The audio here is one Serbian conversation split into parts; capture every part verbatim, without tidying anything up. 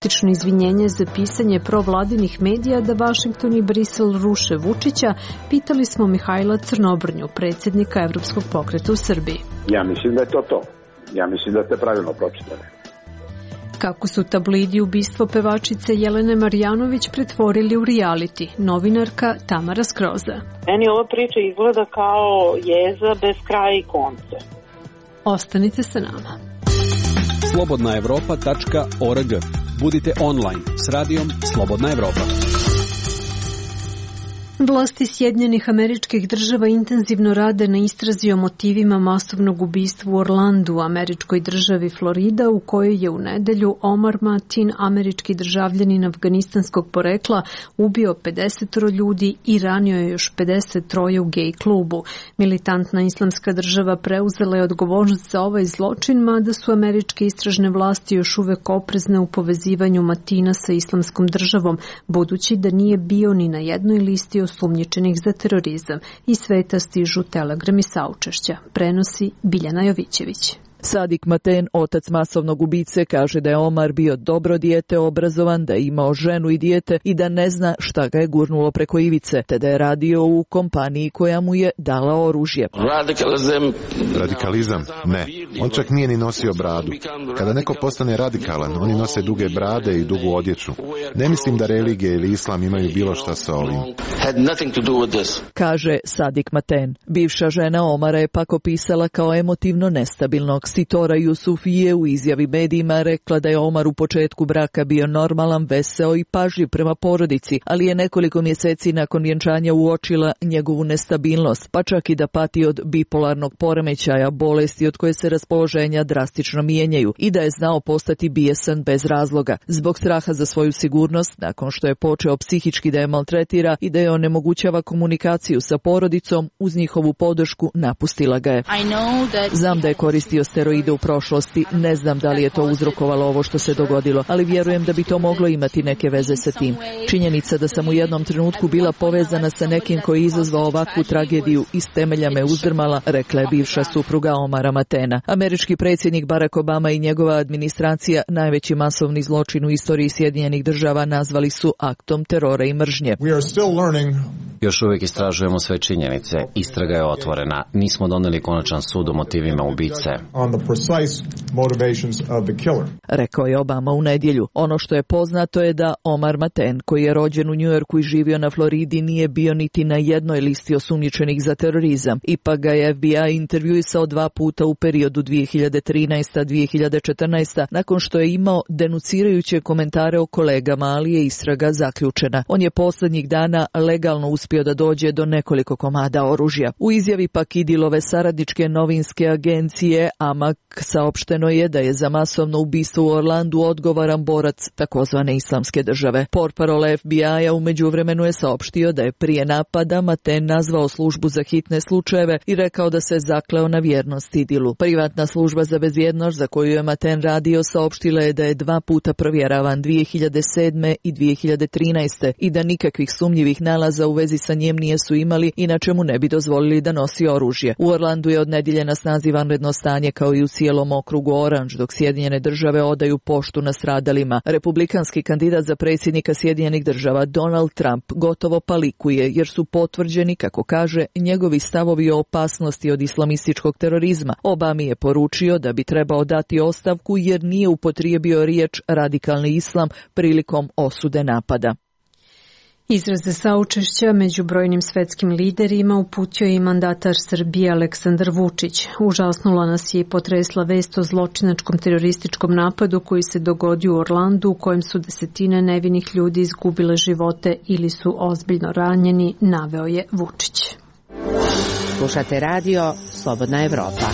Praktično izvinjenje za pisanje provladinih medija da Vašington i Brisel ruše Vučića, pitali smo Mihajla Crnobrnju, predsjednika Evropskog pokreta u Srbiji. Ja mislim da je to to. Ja mislim da ste pravilno pročitali. Kako su tablidi ubistvo pevačice Jelene Marjanović pretvorili u reality, novinarka Tamara Skroza. Meni ova priča izgleda kao jeza bez kraja i konca. Ostanite sa nama. slobodna evropa tačka org. Budite online s radijom Slobodna Evropa. Vlasti Sjedinjenih Američkih Država intenzivno rade na istrazi o motivima masovnog ubistva u Orlandu, u američkoj državi Florida, u kojoj je u nedelju Omar Mateen, američki državljanin afganistanskog porekla, ubio pedeset ljudi i ranio je još pedeset tri u gej klubu. Militantna islamska država preuzela je odgovornost za ovaj zločin, mada su američke istražne vlasti još uvek oprezne u povezivanju Mateena sa islamskom državom, budući da nije bio ni na jednoj listi osumnjičenih za terorizam. Iz sveta stižu telegrami saučešća. Prenosi Biljana Jovićević. Sadik Mateen, otac masovnog ubice, kaže da je Omar bio dobro dijete, obrazovan, da je imao ženu i dijete i da ne zna šta ga je gurnulo preko ivice, te da je radio u kompaniji koja mu je dala oružje. Radikalizam? Ne. On čak nije ni nosio bradu. Kada neko postane radikalan, oni nose duge brade i dugu odjeću. Ne mislim da religija ili islam imaju bilo šta sa ovim. Kaže Sadik Mateen. Bivša žena Omara je pak opisala kao emotivno nestabilnog. Sitora Jusufije u izjavi medijima rekla da je Omar u početku braka bio normalan, veseo i pažljiv prema porodici, ali je nekoliko mjeseci nakon vjenčanja uočila njegovu nestabilnost, pa čak i da pati od bipolarnog poremećaja, bolesti od koje se raspoloženja drastično mijenjaju, i da je znao postati bijesan bez razloga. Zbog straha za svoju sigurnost, nakon što je počeo psihički da je maltretira i da je onemogućava komunikaciju sa porodicom, uz njihovu podršku napustila ga je. Znam da je koristio steroide u prošlosti, ne znam da li je to uzrokovalo ovo što se dogodilo, ali vjerujem da bi to moglo imati neke veze sa tim. Činjenica da sam u jednom trenutku bila povezana sa nekim koji je izazvao ovakvu tragediju iz temelja me uzdrmala, rekla je bivša supruga Omara Mateena. Američki predsjednik Barack Obama i njegova administracija najveći masovni zločin u istoriji Sjedinjenih Država nazvali su aktom terora i mržnje. Još uvijek istražujemo sve činjenice. Istraga je otvorena. Nismo doneli konačan sud o motivima ubice. Rekao je Obama u nedjelju. Ono što je poznato je da Omar Mateen, koji je rođen u Njujorku i živio na Floridi, nije bio niti na jednoj listi osumnjičenih za terorizam. Ipak ga je F B I intervjuisao dva puta u periodu dvije hiljade trinaesta do dvije hiljade četrnaeste. nakon što je imao denucirajuće komentare o kolegama, ali je istraga zaključena. On je posljednjih dana legalno uspio da dođe do nekoliko komada oružja. U izjavi pak Idilove saradničke novinske agencije Amak saopšteno je da je za masovno ubistvo u Orlandu odgovoran borac takozvane islamske države. Portparol F B I-a u međuvremenu je saopštio da je prije napada Mateen nazvao službu za hitne slučajeve i rekao da se zakleo na vjernost Idilu. Privatna služba za bezbjednost za koju je Mateen radio saopštila je da je dva puta provjeravan dvije hiljade sedme i dvije hiljade trinaeste i da nikakvih sumnjivih nalaza u vezi sa njim nisu imali, inače mu ne bi dozvolili da nosi oružje. U Orlandu je od nedjelje na snazi vanredno stanje kao i u cijelom okrugu Orange, dok Sjedinjene Države odaju poštu nastradalima. Republikanski kandidat za predsjednika Sjedinjenih Država Donald Trump gotovo palikuje jer su potvrđeni, kako kaže, njegovi stavovi o opasnosti od islamističkog terorizma. Obami je poručio da bi trebao dati ostavku jer nije upotrijebio riječ radikalni islam prilikom osude napada. Izraze saučešća među brojnim svetskim liderima uputio je i mandatar Srbije Aleksandar Vučić. Užasnula nas je i potresla vest o zločinačkom terorističkom napadu koji se dogodio u Orlandu, u kojem su desetine nevinih ljudi izgubile živote ili su ozbiljno ranjeni, naveo je Vučić. Slušate radio Slobodna Evropa.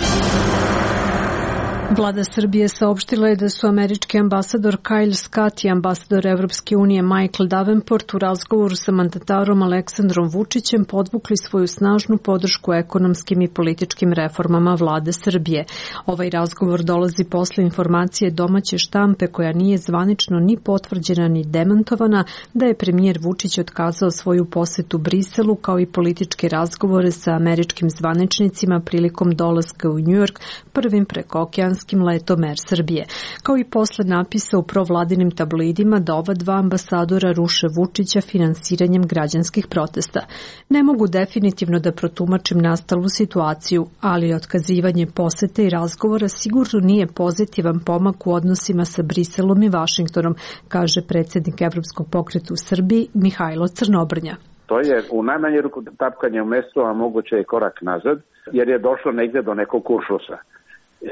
Vlada Srbije saopštila je da su američki ambasador Kyle Scott i ambasador Evropske unije Michael Davenport u razgovoru sa mandatarom Aleksandrom Vučićem podvukli svoju snažnu podršku ekonomskim i političkim reformama vlade Srbije. Ovaj razgovor dolazi posle informacije domaće štampe koja nije zvanično ni potvrđena ni demantovana da je premijer Vučić otkazao svoju posetu Briselu kao i političke razgovore sa američkim zvaničnicima prilikom dolaska u Njujork prvim prekookeanskim američko-japanskim letom Air Srbije, kao i posle napisa u provladinim tabloidima da ova dva ambasadora ruše Vučića finansiranjem građanskih protesta. Ne mogu definitivno da protumačim nastalu situaciju, ali otkazivanje posete i razgovora sigurno nije pozitivan pomak u odnosima sa Briselom i Vašingtonom, kaže predsjednik Evropskog pokreta u Srbiji Mihajlo Crnobrnja. To je u najmanju ruku tapkanje u mestu, a moguće i korak nazad, jer je došlo negde do nekog kuršlusa.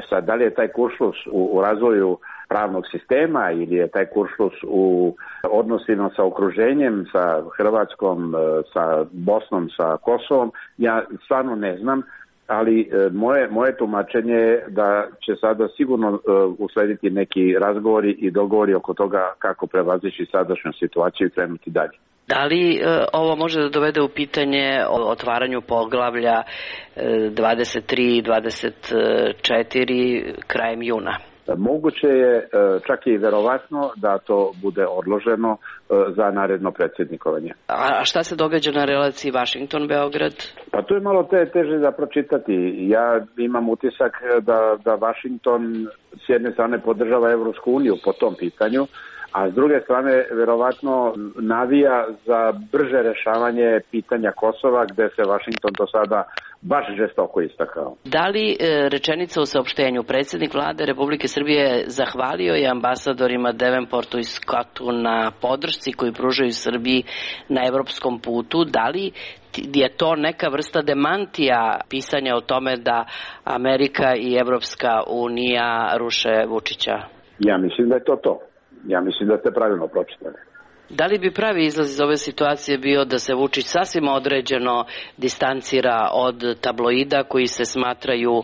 Sad, da li je taj kuršlus u, u razvoju pravnog sistema ili je taj kuršlus u odnosima sa okruženjem, sa Hrvatskom, sa Bosnom, sa Kosovom, ja stvarno ne znam, ali moje, moje tumačenje je da će sada sigurno uh, uslediti neki razgovori i dogovori oko toga kako prevazići sadašnju situaciju i krenuti dalje. Da li e, ovo može da dovede u pitanje o otvaranju poglavlja e, dvadeset tri i dvadeset četiri krajem juna? Moguće je, čak i verovatno, da to bude odloženo za naredno predsjednikovanje. A šta se događa na relaciji Vašington-Beograd? Pa tu je malo te, teže za pročitati. Ja imam utisak da, da Vašington s jedne strane podržava Evropsku uniju po tom pitanju, a s druge strane verovatno navija za brže rešavanje pitanja Kosova, gde se Vašington do sada baš žestoko istakao. Da li e, rečenica u saopštenju predsjednik vlade Republike Srbije zahvalio je ambasadorima Devenportu i Scottu na podršci koju pružaju Srbiji na evropskom putu? Da li je to neka vrsta demantija pisanja o tome da Amerika i Evropska unija ruše Vučića? Ja mislim da je to to. Ja mislim da ste pravilno pročitali. Da li bi pravi izlaz iz ove situacije bio da se Vučić sasvim određeno distancira od tabloida koji se smatraju e,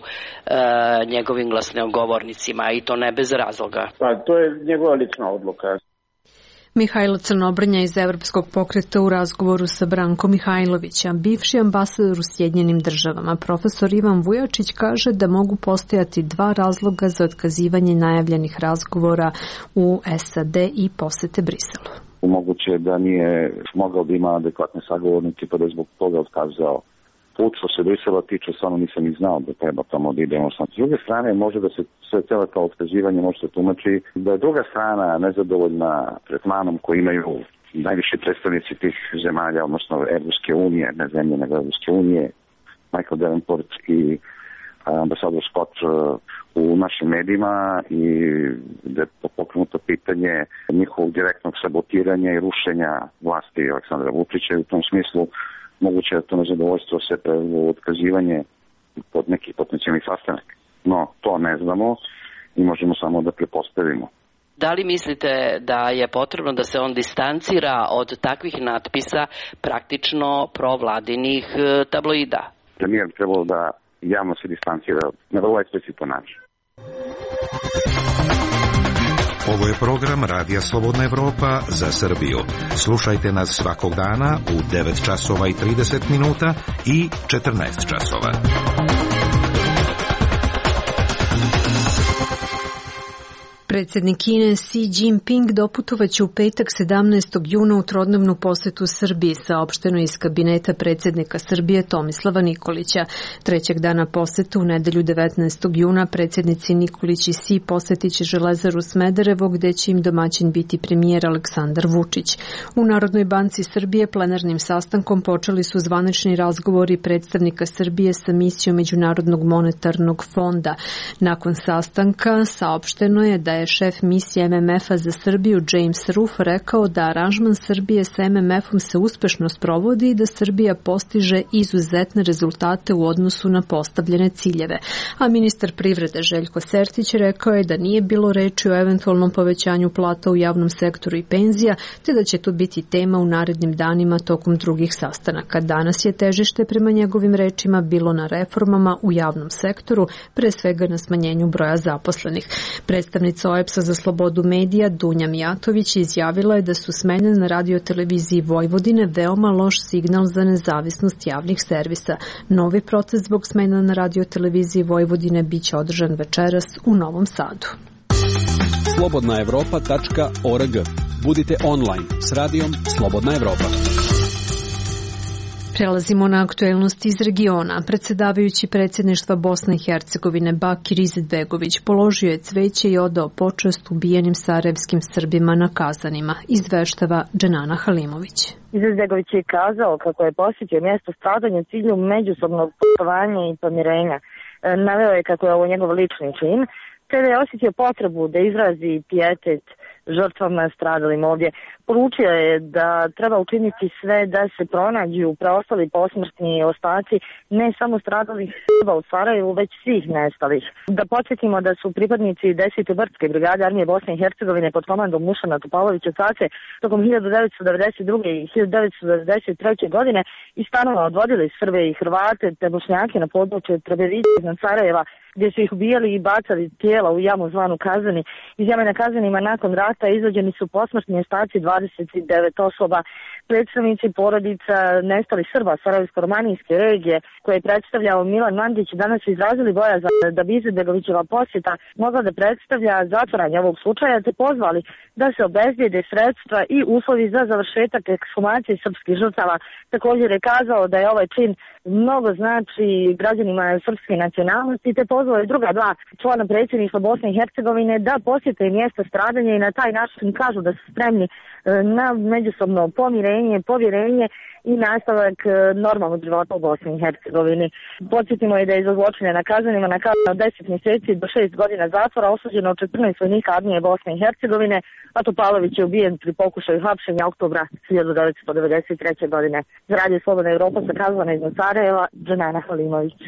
njegovim glasnogovornicima, i to ne bez razloga? Pa to je njegova lična odluka. Mihajlo Crnobrnja iz Evropskog pokreta u razgovoru sa Brankom Mihajlovićem. Bivši ambasador u Sjedinjenim državama, profesor Ivan Vujačić, kaže da mogu postojati dva razloga za otkazivanje najavljenih razgovora u S A D i posete Briselu. Moguće da nije mogao da ima adekvatne sagovornike, pa da je zbog toga otkazao put. Što se Brisela tiče, samo nisam ni znao da treba tamo da idemo. S druge strane, može da se sve celo to otkazivanje može se tumači da je druga strana nezadovoljna tretmanom koji imaju najviši predstavnici tih zemalja, odnosno Evropske unije, ne zemlje, nego Evropske unije, Michael Davenport i ambasador Scott u našim medijima, i da je pokrenuto pitanje njihovog direktnog sabotiranja i rušenja vlasti Aleksandra Vučića, i u tom smislu moguće da to nezadovoljstvo se prevelo otkazivanje pod nekih potencijalnih sastanaka. No, to ne znamo i možemo samo da pretpostavimo. Da li mislite da je potrebno da se on distancira od takvih natpisa praktično provladinih tabloida? Premijer bi trebalo da javno se distancira na vrlo eksplicitan način. Ovo je program Radija Slobodna Evropa za Srbiju. Slušajte nas svakog dana u devet časova i trideset minuta i četrnaest časova. Predsjednik Kine Xi Jinping doputovaće u petak sedamnaestog juna u trodnevnu posetu Srbiji, saopšteno iz kabineta predsjednika Srbije Tomislava Nikolića. Trećeg dana posete u nedelju devetnaestog juna predsjednici Nikolić i Xi posetit će Železaru Smederevo, gde će im domaćin biti premijer Aleksandar Vučić. U Narodnoj banci Srbije plenarnim sastankom počeli su zvanični razgovori predstavnika Srbije sa misijom Međunarodnog monetarnog fonda. Nakon sastanka saopšteno je da je šef misije M M F-a za Srbiju James Ruff rekao da aranžman Srbije sa M M F-om se uspešno sprovodi i da Srbija postiže izuzetne rezultate u odnosu na postavljene ciljeve. A ministar privrede Željko Sertić rekao je da nije bilo reči o eventualnom povećanju plata u javnom sektoru i penzija, te da će to biti tema u narednim danima tokom drugih sastanaka. Danas je težište prema njegovim rečima bilo na reformama u javnom sektoru, pre svega na smanjenju broja zaposlenih. Predstavnica O E B S-a za slobodu medija Dunja Mijatović izjavila je da su smene na radioteleviziji Vojvodine veoma loš signal za nezavisnost javnih servisa. Novi proces zbog smena na radioteleviziji Vojvodine biće održan večeras u Novom Sadu. slobodna evropa tačka org. Budite online s radijom Slobodna Evropa. Prelazimo na aktuelnosti iz regiona. Predsjedavajući predsjedništva Bosne i Hercegovine Bakir Izetbegović položio je cveće i odao počast ubijenim sarajevskim Srbima na Kazanima, izveštava Dženana Halimović. Izetbegović je kazao kako je posjetio mjesto stradanja u cilju međusobnog poštovanja i pomirenja. Naveo je kako je ovo njegov lični čin, te da je osjetio potrebu da izrazi pijetet žrtvama stradalim ovdje. Poručio je da treba učiniti sve da se pronađu preostali posmrtni ostaci ne samo stradalih Srba u Sarajevu, već svih nestalih. Da podsjetimo da su pripadnici desete brdske brigade armije Bosne i Hercegovine pod komandom Dušana Topalovića Cace tokom hiljadu devetsto devedeset druge. i hiljadu devetsto devedeset treće. godine iz stanova odvodili Srbe i Hrvate te Bošnjake na područje Trebevice iznad Sarajeva, gdje su ih ubijali i bacali tijela u jamu zvanu Kazani. Iz jame na Kazanima nakon rata izvađeni su posmrtni ostaci dvadeset devet osoba. Predstavnici porodica nestalih Srba Sarajevsko-romanijske regije, koje je predstavljao Milan Mandić, danas su izrazili bojazan da bi Izetbegovićeva posjeta mogla da predstavlja zatvaranje ovog slučaja, te pozvali da se obezbijede sredstva i uslovi za završetak ekshumacije srpskih žrtava. Također je kazao da je ovaj čin mnogo znači građanima srpske nacionalnosti, te pozvao je druga dva člana predsjedništva Bosne i Hercegovine da posjete mjesta stradanja i na taj način kažu da su spremni na međusobno pomirenje, povjerenje i nastavak normalnog života u Bosni i Hercegovini. Podsjetimo je da je za zločine na Kazanima na kaznu od deset mjeseci do šest godina zatvora osuđeno četrnaest vojnika armije Bosne i Hercegovine, a Topalović je ubijen pri pokušaju hapšenja oktobra hiljadu devetsto devedeset treće. godine. Za Radio Slobodna Evropa sa Kazana iz Sarajeva, Dženana Halimović.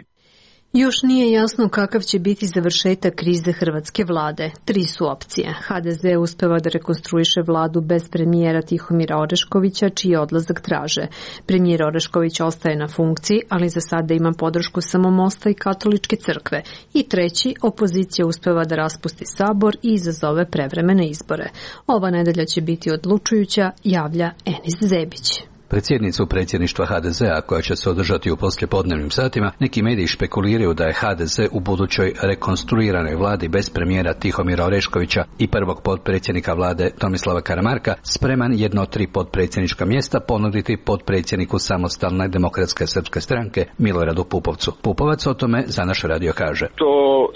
Još nije jasno kakav će biti završetak krize hrvatske vlade. Tri su opcije. ha de ze uspeva da rekonstruiše vladu bez premijera Tihomira Oreškovića, čiji odlazak traže. Premijer Orešković ostaje na funkciji, ali za sada ima podršku samo Mosta i Katoličke crkve. I treći, opozicija uspeva da raspusti sabor i izazove prevremene izbore. Ova nedelja će biti odlučujuća, javlja Enis Zebić. Predsjednicu predsjedništva ha de zea, koja će se održati u poslijepodnevnim satima, neki mediji špekuliraju da je ha de ze u budućoj rekonstruiranoj vladi bez premijera Tihomira Oreškovića i prvog potpredsjednika vlade Tomislava Karamarka spreman jedno od tri potpredsjednička mjesta ponuditi potpredsjedniku Samostalne demokratske srpske stranke Miloradu Pupovcu. Pupovac o tome za naš radio kaže: To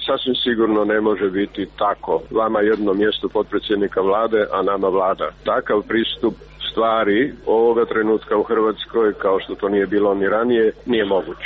sasvim sigurno ne može biti tako. Vama jedno mjesto potpredsjednika vlade, a nama vlada. Takav pristup stvari ovoga trenutka u Hrvatskoj, kao što to nije bilo ni ranije, nije moguć.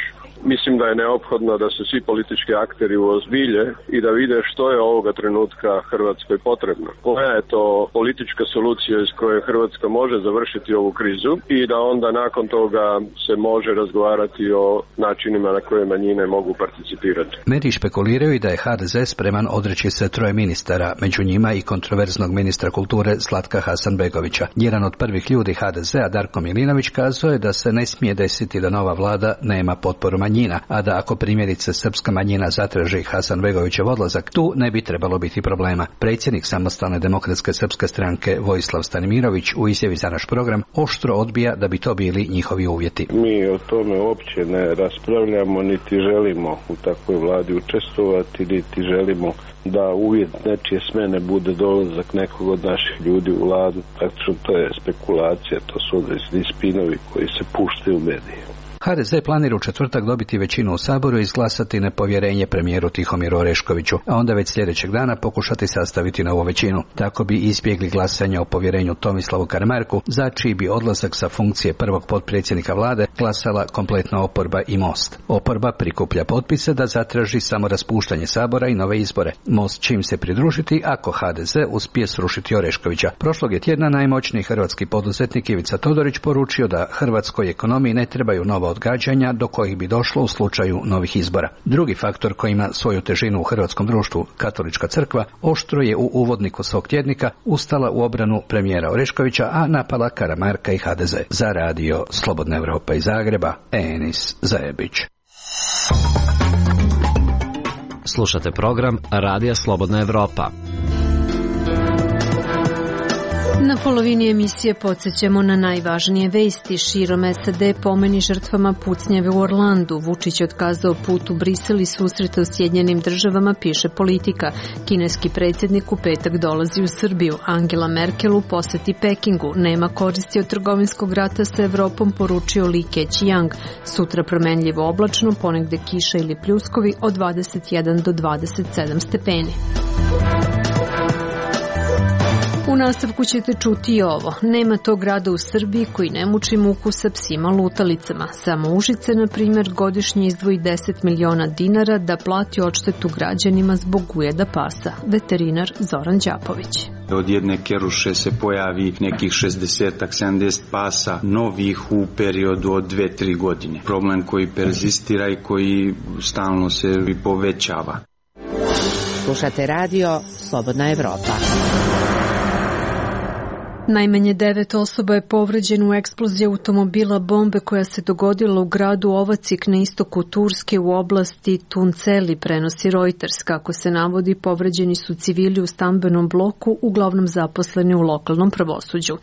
Mislim da je neophodno da se svi politički akteri uozbilje i da vide što je ovoga trenutka Hrvatskoj potrebno. Koja je to politička solucija iz koje Hrvatska može završiti ovu krizu i da onda nakon toga se može razgovarati o načinima na koje manjine mogu participirati. Mediji špekuliraju i da je ha de ze spreman odreći se troje ministara, među njima i kontroverznog ministra kulture Zlatka Hasanbegovića. Jedan od prvih ljudi ha de zea, Darko Milinović, kazao je da se ne smije desiti da nova vlada nema potporu manjina. Manjina, a da ako primjerice srpska manjina zatraži Hasanbegovićev odlazak, tu ne bi trebalo biti problema. Predsjednik Samostalne demokratske srpske stranke Vojislav Stanimirović u izjavi za naš program oštro odbija da bi to bili njihovi uvjeti. Mi o tome uopće ne raspravljamo, niti želimo u takvoj vladi učestvovati, niti želimo da uvjet nečije smene bude dolazak nekog od naših ljudi u vladu. Praktično to je spekulacija, to su određeni spinovi koji se puštaju u medije. ha de ze planira u četvrtak dobiti većinu u Saboru i izglasati nepovjerenje premijeru Tihomiru Oreškoviću, a onda već sljedećeg dana pokušati sastaviti novu većinu. Tako bi izbjegli glasanje o povjerenju Tomislavu Karamarku, za čiji bi odlazak sa funkcije prvog potpredsjednika vlade glasala kompletna oporba i Most. Oporba prikuplja potpise da zatraži samo raspuštanje Sabora i nove izbore. Most čim se pridružiti ako ha de ze uspije srušiti Oreškovića. Prošlog je tjedna najmoćniji hrvatski poduzetnik Ivica Todorić poručio da hrvatskoj ekonomiji ne trebaju nova odgađanja do kojih bi došlo u slučaju novih izbora. Drugi faktor koji ima svoju težinu u hrvatskom društvu, Katolička crkva, oštro je u uvodniku svog tjednika ustala u obranu premijera Oreškovića, a napala Karamarka i ha de ze. Za radio Slobodna Evropa iz Zagreba, Enis Zajebić. Slušate program Radija Slobodna Evropa. Na polovini emisije podsjećamo na najvažnije vesti. Širom S A D pomeni žrtvama pucnjave u Orlandu. Vučić otkazao put u Brisel i susreta u Sjedinjenim državama, piše Politika. Kineski predsjednik u petak dolazi u Srbiju. Angela Merkel u poseti Pekingu. Nema koristi od trgovinskog rata sa Evropom, poručio Li Keqiang. Sutra promenljivo oblačno, ponegde kiša ili pljuskovi od dvadeset jedan do dvadeset sedam stepeni. U nastavku ćete čuti i ovo. Nema tog grada u Srbiji koji ne muči muku sa psima lutalicama. Samo Užice, na primjer, godišnje izdvoji deset miliona dinara da plati odštetu građanima zbog ujeda pasa. Veterinar Zoran Đapović. Od jedne keruše se pojavi nekih šezdeset sedamdeset pasa novih u periodu od dve do tri godine. Problem koji perzistira i koji stalno se povećava. Slušate radio Slobodna Evropa. Najmanje devet osoba je povređeno u eksploziji automobila bombe koja se dogodila u gradu Ovacik na istoku Turske u oblasti Tunceli, prenosi Reuters. Kako se navodi, povređeni su civili u stambenom bloku, uglavnom zaposleni u lokalnom pravosuđu.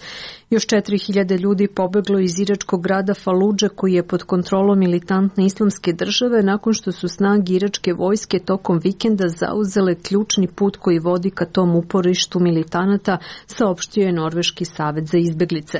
Još četiri hiljade ljudi pobeglo iz iračkog grada Faludža koji je pod kontrolom militantne islamske države nakon što su snage iračke vojske tokom vikenda zauzele ključni put koji vodi ka tom uporištu militanata, saopštio je Norveški savet za izbeglice.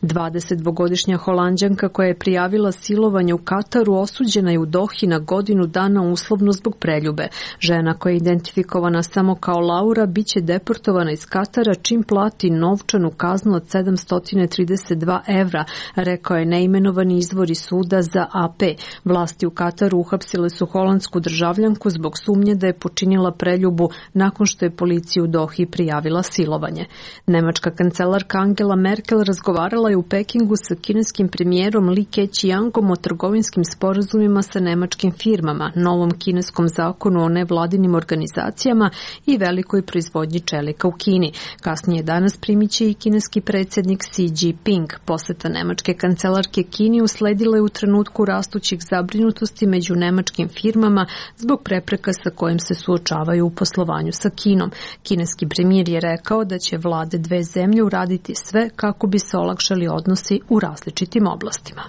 dvadesetdvogodišnja Holanđanka koja je prijavila silovanje u Kataru osuđena je u Dohi na godinu dana uslovno zbog preljube. Žena koja je identifikovana samo kao Laura biće deportovana iz Katara čim plati novčanu kaznu od sedamsto trideset dva evra, rekao je neimenovani izvor iz suda za A P. Vlasti u Kataru uhapsile su holandsku državljanku zbog sumnje da je počinila preljubu nakon što je policiju u Dohi prijavila silovanje. Nemačka kancelarka Angela Merkel razgovarala je u Pekingu sa kineskim premijerom Li Keqiangom o trgovinskim sporazumima sa nemačkim firmama, novom kineskom zakonu o nevladinim organizacijama i velikoj proizvodnji čelika u Kini. Kasnije danas primiće i kineski predsjednik Xi Jinping. Poseta nemačke kancelarke Kini usledila je u trenutku rastućih zabrinutosti među nemačkim firmama zbog prepreka sa kojim se suočavaju u poslovanju sa Kinom. Kineski premijer je rekao da će vlade dve zemlje uraditi sve kako bi se olakšali odnosi u različitim oblastima.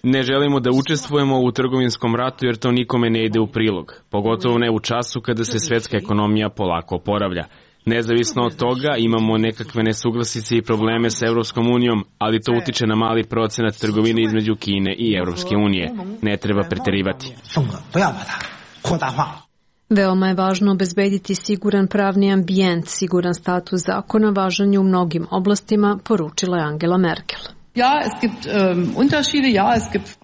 Ne želimo da učestvujemo u trgovinskom ratu jer to nikome ne ide u prilog, pogotovo ne u času kada se svetska ekonomija polako oporavlja. Nezavisno od toga imamo nekakve nesuglasice i probleme sa Evropskom unijom, ali to utiče na mali procenat trgovine između Kine i Evropske unije. Ne treba preterivati. Veoma je važno obezbediti siguran pravni ambijent, siguran status zakona važan je u mnogim oblastima, poručila je Angela Merkel.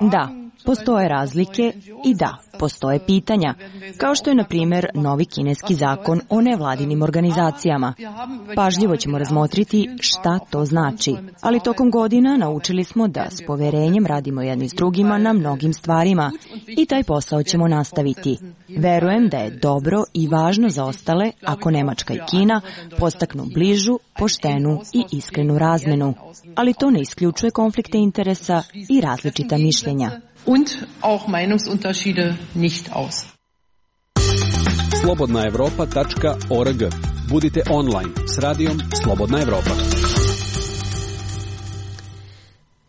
Da, postoje razlike i da, postoje pitanja, kao što je, na primjer, novi kineski zakon o nevladinim organizacijama. Pažljivo ćemo razmotriti šta to znači, ali tokom godina naučili smo da s poverenjem radimo jedni s drugima na mnogim stvarima i taj posao ćemo nastaviti. Verujem da je dobro i važno za ostale ako Nemačka i Kina postaknu bližu, poštenu i iskrenu razmenu, ali to ne isključuje konflikte interesa i različita mišljenja. Und auch Meinungsunterschiede nicht aus. slobodna evropa tačka org. Budite online s radijom Slobodna Evropa.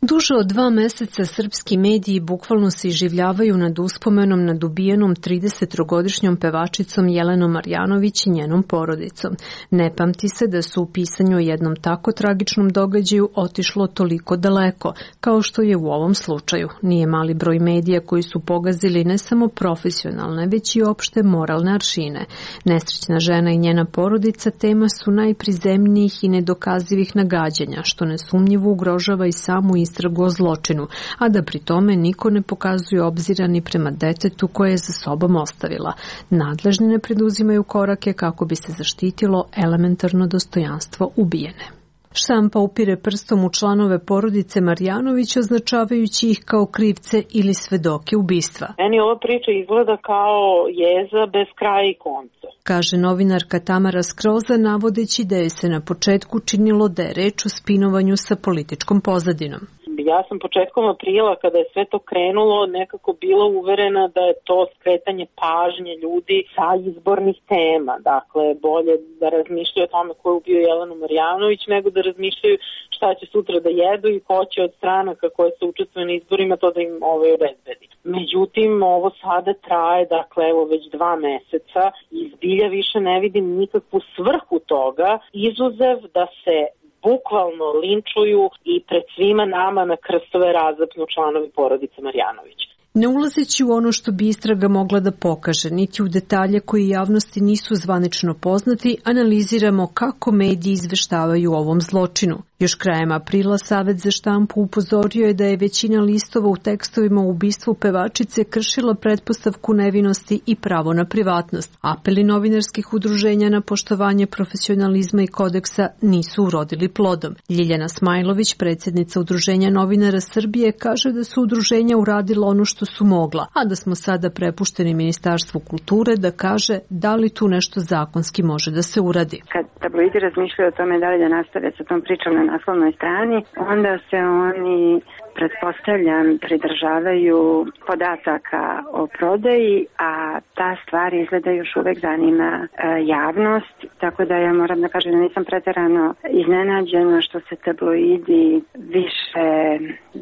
Duže od dva meseca srpski mediji bukvalno se iživljavaju nad uspomenom nad ubijenom tridesettrogodišnjom pevačicom Jelenom Marjanović i njenom porodicom. Ne pamti se da su u pisanju o jednom tako tragičnom događaju otišlo toliko daleko, kao što je u ovom slučaju. Nije mali broj medija koji su pogazili ne samo profesionalne, već i opšte moralne aršine. Nesrećna žena i njena porodica tema su najprizemnijih i nedokazivih nagađanja, što nesumnjivo ugrožava i samu istragu o zločinu, a da pri tome niko ne pokazuje obzira ni prema detetu koje je za sobom ostavila. Nadležni ne preduzimaju korake kako bi se zaštitilo elementarno dostojanstvo ubijene. Štampa upire prstom u članove porodice Marjanović, označavajući ih kao krivce ili svedoke ubistva. Meni ova priča izgleda kao jeza bez kraja i konca, kaže novinarka Tamara Skroza, navodeći da je se na početku činilo da je reč o spinovanju sa političkom pozadinom. Ja sam početkom aprila, kada je sve to krenulo, nekako bila uverena da je to skretanje pažnje ljudi sa izbornih tema. Dakle, bolje da razmišljaju o tome ko je ubio Jelenu Marjanović, nego da razmišljaju šta će sutra da jedu i ko će od stranaka koje se učestvuju na izborima to da im ovaj obezbedi. Međutim, ovo sada traje, dakle, evo već dva meseca i zbilja više ne vidim nikakvu svrhu toga, izuzev da se bukvalno linčuju i pred svima nama na krstove razapnu članovi porodice Marjanović. Ne ulazeći u ono što bi istraga mogla da pokaže, niti u detalje koji javnosti nisu zvanično poznati, analiziramo kako mediji izveštavaju o ovom zločinu. Još krajem aprila Savet za štampu upozorio je da je većina listova u tekstovima o ubistvu pevačice kršila pretpostavku nevinosti i pravo na privatnost. Apeli novinarskih udruženja na poštovanje profesionalizma i kodeksa nisu urodili plodom. Ljiljana Smajlović, predsjednica Udruženja novinara Srbije, kaže da su udruženja uradila ono što su mogla, a da smo sada prepušteni Ministarstvu kulture da kaže da li tu nešto zakonski može da se uradi. Kad tabloidi razmišljaju o tome da li da nastave sa tom pričom na naslovnoj strani, onda se oni, pretpostavljam, pridržavaju podataka o prodaji, a ta stvar izgleda još uvek zanima e, javnost, tako da ja moram da kažem da nisam preterano iznenađena što se tabloidi više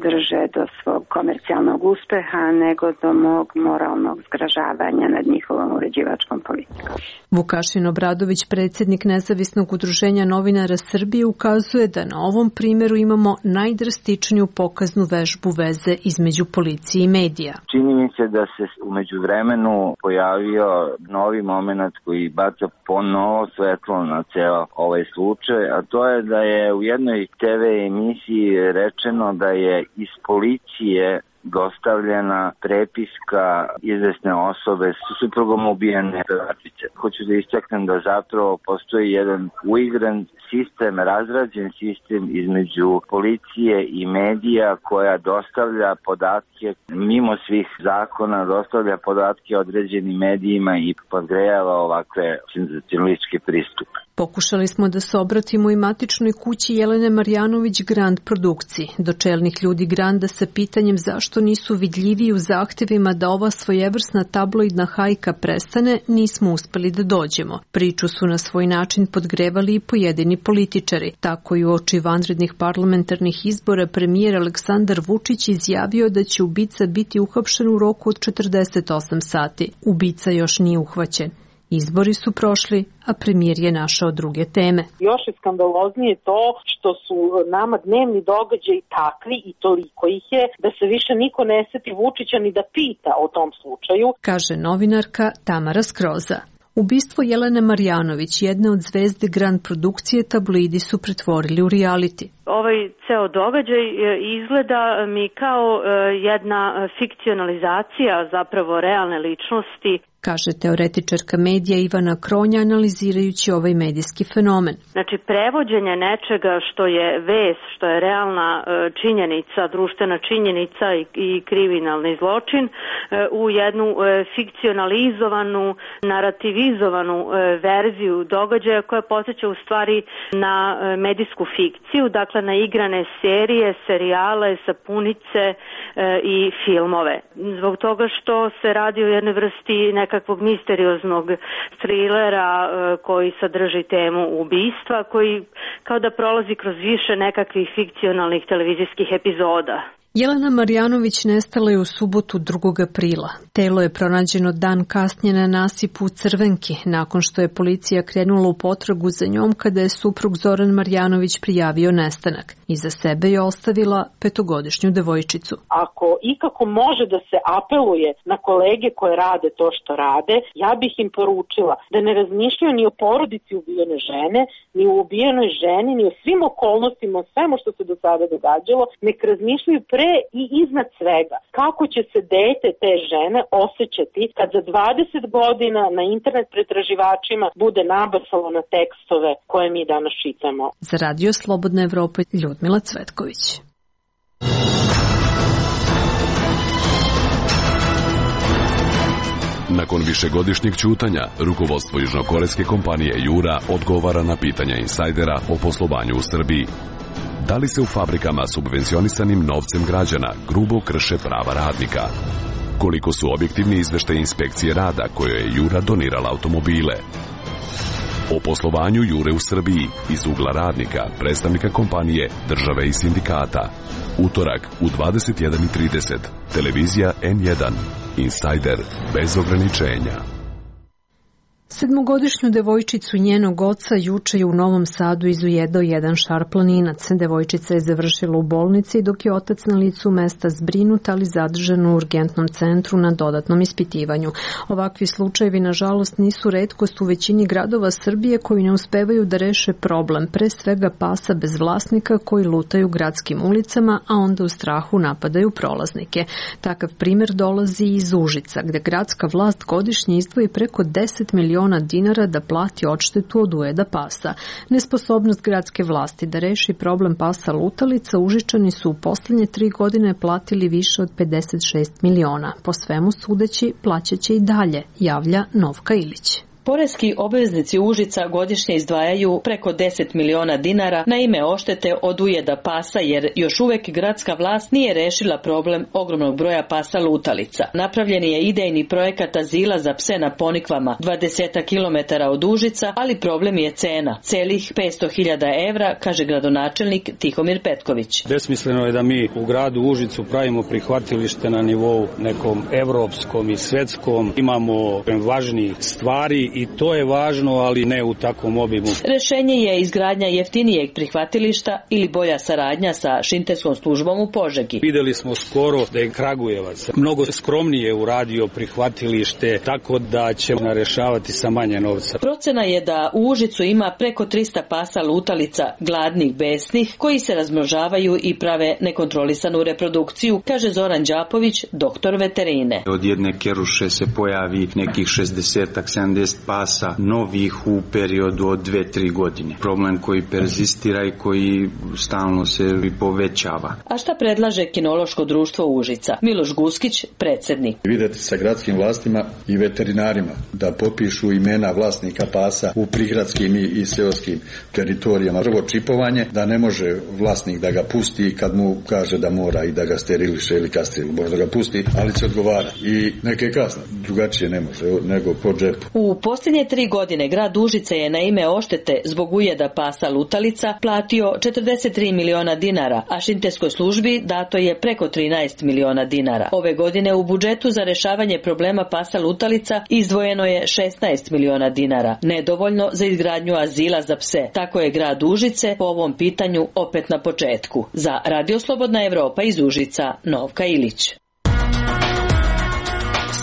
drže do svog komercijalnog uspeha nego do mog moralnog zgražavanja nad njihovom uređivačkom politikom. Vukašin Obradović, predsjednik Nezavisnog udruženja novinara Srbije, ukazuje da na ovom primjeru imamo najdrastičniju pokaznu vežbu veze između policije i medija. Čini mi se da se umeđu vremenu pojavio novi moment koji baca ponovo svetlo na ceo ovaj slučaj, a to je da je u jednoj te ve emisiji rečeno da je iz policije dostavljena prepiska izvesne osobe s suprugom ubijene pevačice. Hoću da istaknem da zapravo postoji jedan uigran sistem, razrađen sistem između policije i medija koja dostavlja podatke mimo svih zakona, dostavlja podatke određenim medijima i podgrejava ovakve senzacionalističke pristupe. Pokušali smo da se obratimo i matičnoj kući Jelene Marjanović Grand produkciji, do čelnih ljudi Granda sa pitanjem zašto nisu vidljiviji u zahtevima da ova svojevrsna tabloidna hajka prestane, nismo uspeli da dođemo. Priču su na svoj način podgrevali i pojedini političari. Tako i u oči vanrednih parlamentarnih izbora premijer Aleksandar Vučić izjavio da će ubica biti uhapšen u roku od četrdeset osam sati. Ubica još nije uhvaćen. Izbori su prošli, a premijer je našao druge teme. Još je skandaloznije to što su nama dnevni događaji takvi i toliko ih je da se više niko ne seti Vučića ni da pita o tom slučaju, kaže novinarka Tamara Skroza. Ubistvo Jelene Marjanović, jedne od zvezde Grand produkcije, tabloidi su pretvorili u reality. Ovaj ceo događaj izgleda mi kao jedna fikcionalizacija zapravo realne ličnosti, kaže teoretičarka medija Ivana Kronja analizirajući ovaj medijski fenomen. Znači, prevođenje nečega što je vest, što je realna činjenica, društvena činjenica i, i kriminalni zločin u jednu fikcionalizovanu, narativizovanu verziju događaja koja podsjeća u stvari na medijsku fikciju, dakle na igrane serije, serijale, sapunice i filmove. Zbog toga što se radi o jednoj vrsti neka nekakvog misterioznog trilera koji sadrži temu ubistva, koji kao da prolazi kroz više nekakvih fikcionalnih televizijskih epizoda. Jelena Marjanović nestala je u subotu drugog aprila. Telo je pronađeno dan kasnije na nasipu u Crvenki, nakon što je policija krenula u potragu za njom kada je suprug Zoran Marjanović prijavio nestanak. Iza sebe je ostavila petogodišnju devojčicu. Ako ikako može da se apeluje na kolege koje rade to što rade, ja bih im poručila da ne razmišljaju ni o porodici ubijene žene, ni o ubijenoj ženi, ni o svim okolnostima, o svemu što se do sada događalo, nek razmišljaju pre i iznad svega kako će se dete te žene osjećati kad za dvadeset godina na internet pretraživačima bude nabasalo na tekstove koje mi danas čitamo. Za Radio Slobodna Evropa, Ljudmila Cvetković. Nakon višegodišnjeg ćutanja, rukovodstvo južnokorejske kompanije Jura odgovara na pitanja insajdera o poslovanju u Srbiji. Da li se u fabrikama subvencionisanim novcem građana grubo krše prava radnika? Koliko su objektivni izveštaji inspekcije rada kojoj je Jura donirala automobile? O poslovanju Jure u Srbiji iz ugla radnika, predstavnika kompanije, države i sindikata. Utorak u dvadeset jedan i trideset. Televizija N jedan. Insajder bez ograničenja. Sedmogodišnju devojčicu njenog oca juče je u Novom Sadu izujedao jedan šarplaninac. Devojčica je završila u bolnici dok je otac na licu mesta zbrinut, ali zadržan u urgentnom centru na dodatnom ispitivanju. Ovakvi slučajevi, nažalost, nisu retkost u većini gradova Srbije koji ne uspevaju da reše problem, pre svega pasa bez vlasnika koji lutaju gradskim ulicama, a onda u strahu napadaju prolaznike. Takav primer dolazi iz Užica, gde gradska vlast godišnje izdvoji preko deset miliona dinara da plati odštetu od ujeda pasa. Nesposobnost gradske vlasti da reši problem pasa lutalica Užičani su u poslednje tri godine platili više od pedeset šest miliona. Po svemu sudeći plaćaće i dalje, javlja Novka Ilić. Poreski obveznici Užica godišnje izdvajaju preko deset miliona dinara na ime oštete od ujeda pasa, jer još uvek gradska vlast nije rešila problem ogromnog broja pasa lutalica. Napravljen je idejni projekat azila za pse na Ponikvama, dvadeset kilometara od Užica, ali problem je cena. Celih petsto hiljada evra, kaže gradonačelnik Tihomir Petković. Besmisleno je da mi u gradu Užicu pravimo prihvatilište na nivou nekom evropskom i svetskom. Imamo važnijih stvari i to je važno, ali ne u takvom obimu. Rešenje je izgradnja jeftinijeg prihvatilišta ili bolja saradnja sa šinterskom službom u Požegi. Videli smo skoro da je Kragujevac mnogo skromnije uradio prihvatilište, tako da ćemo rešavati sa manje novca. Procena je da u Užicu ima preko trista pasa lutalica, gladnih, besnih, koji se razmnožavaju i prave nekontrolisanu reprodukciju, kaže Zoran Đapović, doktor veterine. Od jedne keruše se pojavi nekih šezdeset sedamdeset pasa novih u periodu od dve tri godine. Problem koji perzistira i koji stalno se povećava. A šta predlaže kinološko društvo Užica? Miloš Guskić, predsednik. Videti sa gradskim vlastima i veterinarima da popišu imena vlasnika pasa u prigradskim i seoskim teritorijama. Prvo čipovanje, da ne može vlasnik da ga pusti kad mu kaže da mora i da ga steriliše ili kastrira. Može da ga pusti, ali će odgovara. I neke kazne. Drugačije ne može nego po džepu. U posljednje tri godine grad Užice je na ime oštete zbog ujeda pasa lutalica platio četrdeset tri miliona dinara, a šinterskoj službi dato je preko trinaest miliona dinara. Ove godine u budžetu za rešavanje problema pasa lutalica izdvojeno je šesnaest miliona dinara, nedovoljno za izgradnju azila za pse. Tako je grad Užice po ovom pitanju opet na početku. Za Radio Slobodna Evropa iz Užica, Novka Ilić.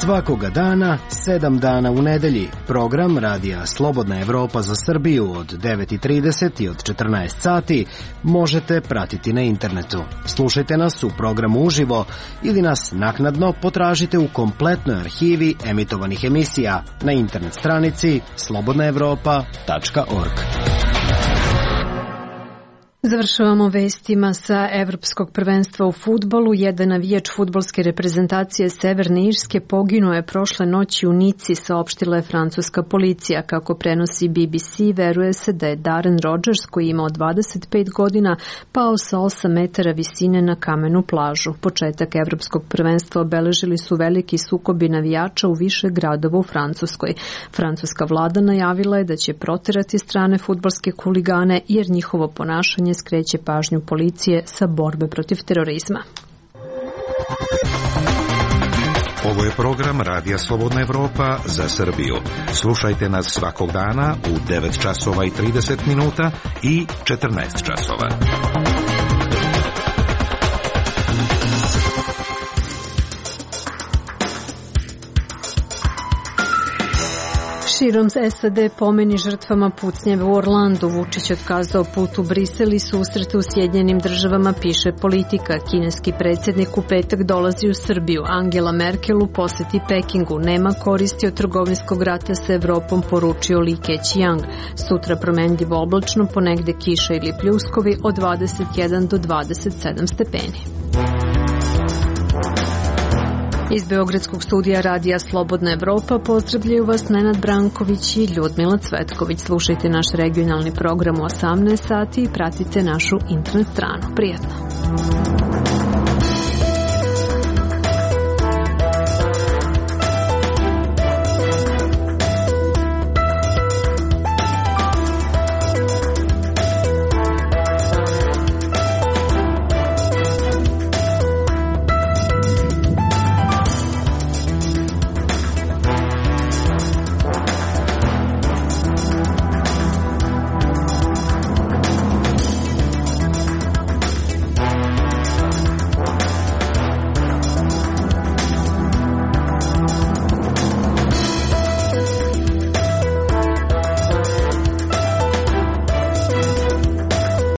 Svakoga dana, sedam dana u nedelji, program Radija Slobodna Evropa za Srbiju od devet i trideset i od četrnaest sati možete pratiti na internetu. Slušajte nas u programu uživo ili nas naknadno potražite u kompletnoj arhivi emitovanih emisija na internet stranici slobodna evropa tačka org. Završavamo vestima sa Evropskog prvenstva u fudbalu. Jedan navijač fudbalske reprezentacije Severne Irske poginuo je prošle noći u Nici, saopštila je francuska policija. Kako prenosi B B C, veruje se da je Darren Rodgers, koji je imao dvadeset pet godina, pao sa osam metara visine na kamenu plažu. Početak Evropskog prvenstva obeležili su veliki sukobi navijača u više gradova u Francuskoj. Francuska vlada najavila je da će proterati strane fudbalske huligane, jer njihovo ponašanje skreće pažnju policije sa borbe protiv terorizma. Ovo je program Radija Slobodna Evropa za Srbiju. Slušajte nas svakog dana u devet časova i trideset minuta i četrnaest časova. Širom S A D pomeni žrtvama pucnjeve u Orlandu. Vučić otkazao put u Brisel i susrete u Sjedinjenim državama, piše Politika. Kineski predsjednik u petak dolazi u Srbiju. Angela Merkel u poseti Pekingu. Nema koristi od trgovinskog rata sa Evropom, poručio Li Keqiang. Sutra promenljivo oblačno, ponegde kiša ili pljuskovi od dvadeset jedan do dvadeset sedam stepeni. Iz Beogradskog studija Radija Slobodna Evropa pozdravljaju vas Nenad Branković i Ljudmila Cvetković. Slušajte naš regionalni program u osamnaest sati i pratite našu internet stranu. Prijetno!